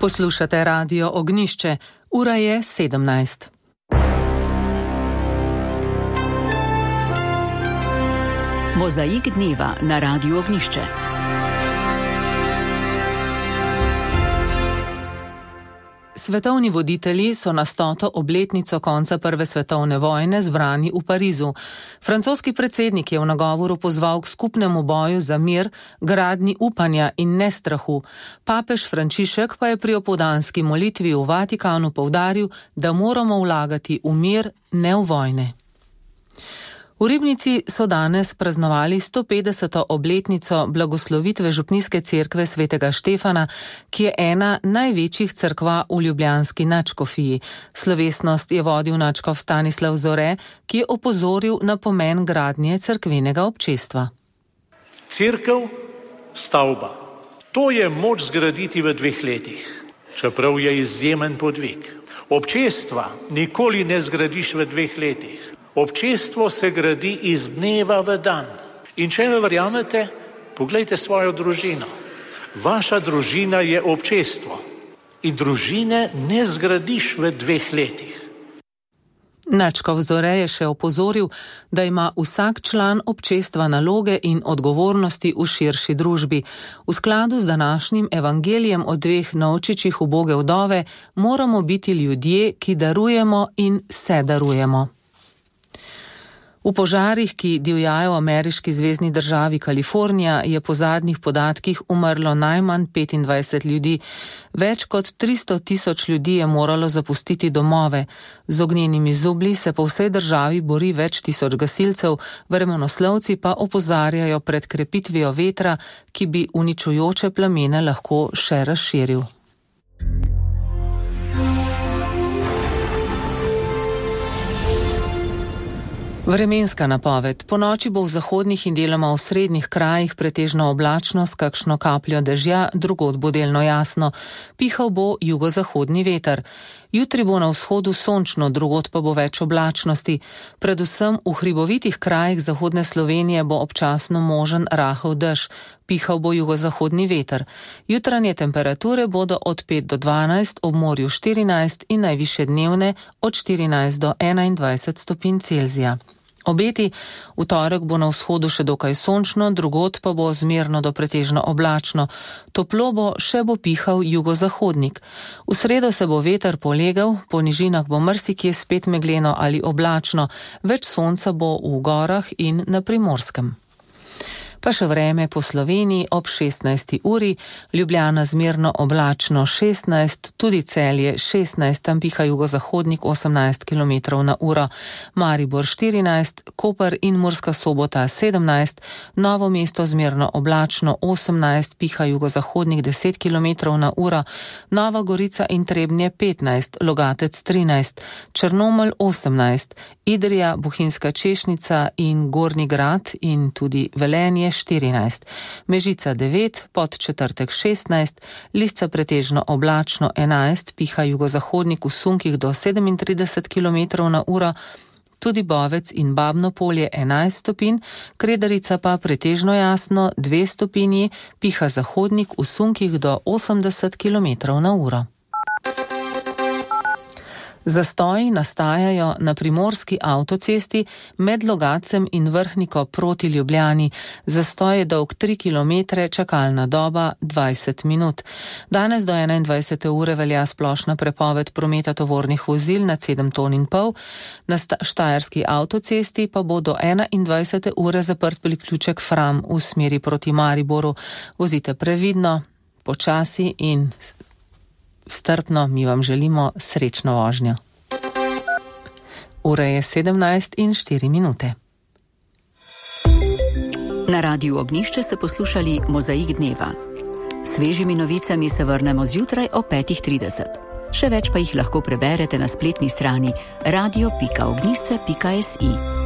Poslušate Radio Ognjišče. Ura je 17. Mozaik dneva na Radiu Ognjišče. Svetovni voditelji so na 100. obletnico konca Prve svetovne vojne zbrani v Parizu. Francoski predsednik je v nagovoru pozval k skupnemu boju za mir, gradnji upanja in nestrahu. Papež Frančišek pa je pri opoldanski molitvi v Vatikanu poudaril, da moramo vlagati v mir, ne v vojne. V Ribnici so danes praznovali 150. obletnico blagoslovitve župnijske cerkve svetega Štefana, ki je ena največjih cerkva v ljubljanski nadškofiji. Slovesnost je vodil nadškof Stanislav Zore, ki je opozoril na pomen gradnje cerkvenega občestva. Cerkev, stavba. To je moč zgraditi v 2 letih, čeprav je izjemen podvig. Občestva nikoli ne zgradiš v 2 letih. Občestvo se gradi iz dneva v dan. In če ne verjamete, poglejte svojo družino. Vaša družina je občestvo. In družine ne zgradiš v 2 letih. Nadškof Zore je še opozoril, da ima vsak član občestva naloge in odgovornosti v širši družbi. V skladu z današnjim evangelijem o 2 novčičih uboge vdove moramo biti ljudje, ki darujemo in se darujemo. V požarih, ki divjajo v ameriški zvezni državi Kalifornija, je po zadnjih podatkih umrlo najmanj 25 ljudi. Več kot 300 tisoč ljudi je moralo zapustiti domove. Z ognjenimi zublji se po vsej državi bori več tisoč gasilcev, vremenoslovci pa opozarjajo pred krepitvijo vetra, ki bi uničujoče plamene lahko še razširil. Vremenska napoved. Ponoči bo v zahodnih in deloma v srednjih krajih pretežno oblačno s kakšno kapljo dežja, drugod bo delno jasno. Pihal bo jugozahodni veter. Jutri bo na vzhodu sončno, drugod pa bo več oblačnosti. Predvsem v hribovitih krajih zahodne Slovenije bo občasno možen rahel dež. Pihal bo jugozahodni veter. Jutranje temperature bodo od 5 do 12, ob morju 14 in najvišje dnevne od 14 do 21 stopinj Celzija. Obeti, v torek bo na vzhodu še dokaj sončno, drugod pa bo zmerno do pretežno oblačno. Toplo bo, še bo pihal jugozahodnik. V sredo se bo veter polegal, po nižinah bo marsikje spet megleno ali oblačno, več sonca bo v gorah in na Primorskem. Pa še vreme po Sloveniji ob 16. uri, Ljubljana zmerno oblačno 16, tudi Celje 16, tam piha jugozahodnik 18 km na uro, Maribor 14, Koper in Murska Sobota 17, Novo mesto zmerno oblačno 18, piha jugozahodnik 10 km na uro, Nova Gorica in Trebnje 15, Logatec 13, Črnomelj 18, Idrija, Bohinjska Češnica in Gornji Grad in tudi Velenje 14, Mežica 9, Podčetrtek 16, Lisca pretežno oblačno 11, piha jugozahodnik v sunkih do 37 km na uro, tudi Bovec in Babno Polje 11 stopinj, Kredarica pa pretežno jasno 2 stopinji, piha zahodnik v sunkih do 80 km na uro. Zastoji nastajajo na primorski avtocesti med Logacem in Vrhniko proti Ljubljani. Zastoj je dolg 3 km, čakalna doba 20 minut. Danes do 21. ure velja splošna prepoved prometa tovornih vozil nad 7,5 ton. Na štajerski avtocesti pa bo do 21. ure zaprt priključek Fram v smeri proti Mariboru. Vozite previdno, počasi in strpno, mi vam želimo srečno vožnjo. Ura je 17:04. Na Radiu Ognjišče ste poslušali Mozaik dneva. Svežimi novicami se vrnemo zjutraj o 5:30. Še več pa jih lahko preberete na spletni strani radio.ognjišče.si.